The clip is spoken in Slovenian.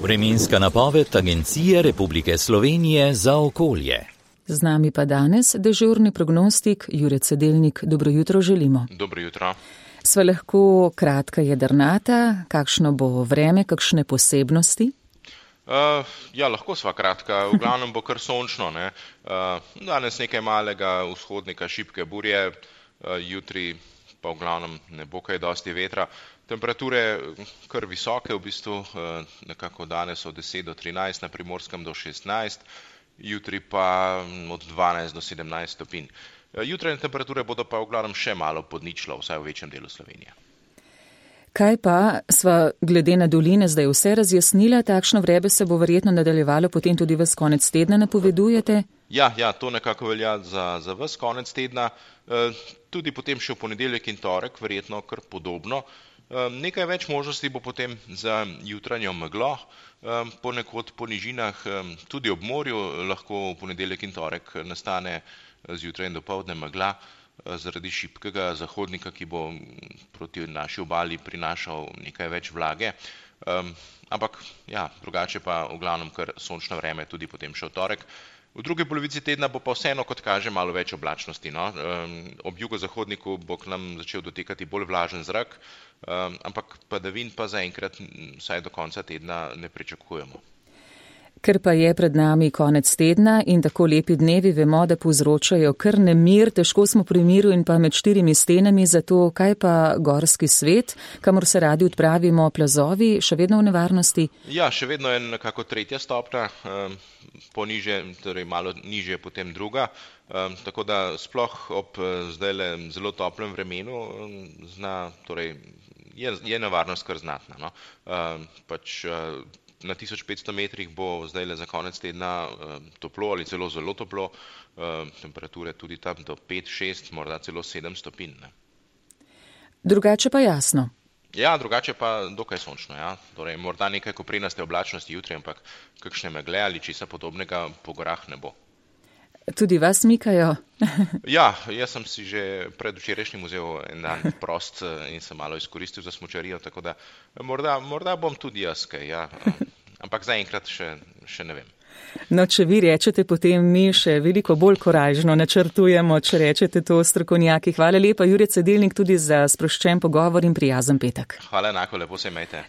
Vremenska napoved Agencije Republike Slovenije za okolje. Z nami pa danes dežurni prognostik Jure Cedelnik. Dobro jutro želimo. Dobro jutro. Sva lahko kratka jedrnata, kakšno bo vreme, kakšne posebnosti? Ja, lahko sva kratka, v glavnem bo kar sončno, ne. Danes nekaj malega vzhodnika, šibke burje, jutri pa v glavnem ne bo kaj dosti vetra. Temperature kar visoke v bistvu, nekako danes od 10 do 13, na Primorskem do 16, jutri pa od 12 do 17 stopinj. Jutranje temperature bodo pa v glavnem še malo pod ničlo, vsaj v večjem delu Slovenije. Kaj pa, sva glede na doline zdaj vse razjasnila, takšno vreme se bo verjetno nadaljevalo potem tudi ves konec tedna, napovedujete? Ja, to nekako velja za ves konec tedna, tudi potem še v ponedeljek in torek, verjetno kar podobno. Nekaj več možnosti bo potem za jutranjo meglo, ponekod po nižinah, tudi ob morju lahko v ponedeljek in torek nastane zjutraj in dopoldne megla, zaradi šibkega zahodnika, ki bo proti naši obali prinašal nekaj več vlage. Ampak ja, drugače pa v glavnem kar sončno vreme tudi potem še v torek. V drugi polovici tedna bo pa vseeno, kot kaže, malo več oblačnosti, no. Ob jugozahodniku bo k nam začel dotekati bolj vlažen zrak, ampak padavin pa zaenkrat vsaj do konca tedna ne pričakujemo. Ker pa je pred nami konec tedna in tako lepi dnevi, vemo, da povzročajo kar nemir, težko smo pri miru in pa med štirimi stenami, zato kaj pa gorski svet, kamor se radi odpravimo, plazovi, še vedno v nevarnosti? Ja, še vedno je nekako tretja stopnja, poniže, torej malo nižje potem druga, tako da sploh ob zdajle zelo toplem vremenu je nevarnost kar znatna, no. Na 1500 metrih bo zdajle za konec tedna toplo ali celo zelo toplo, temperature tudi tam do 5-6, morda celo 7 stopinj. Drugače pa jasno. Ja, drugače pa dokaj sončno, ja. Torej, morda nekaj koprenaste oblačnosti jutri, ampak kakšne megle ali česa podobnega po gorah ne bo. Tudi vas mikajo? Ja, jaz sem si že predvčerajšnjim vzel en dan prost in sem malo izkoristil za smučarijo, tako da morda bom tudi jaz kaj, ja. Ampak zaenkrat še ne vem. No, če vi rečete, potem mi še veliko bolj korajžno načrtujemo, če rečete to strokovnjaki. Hvala lepa, Jure Cedelnik, tudi za sproščen pogovor in prijazen petek. Hvala enako, lepo se imejte.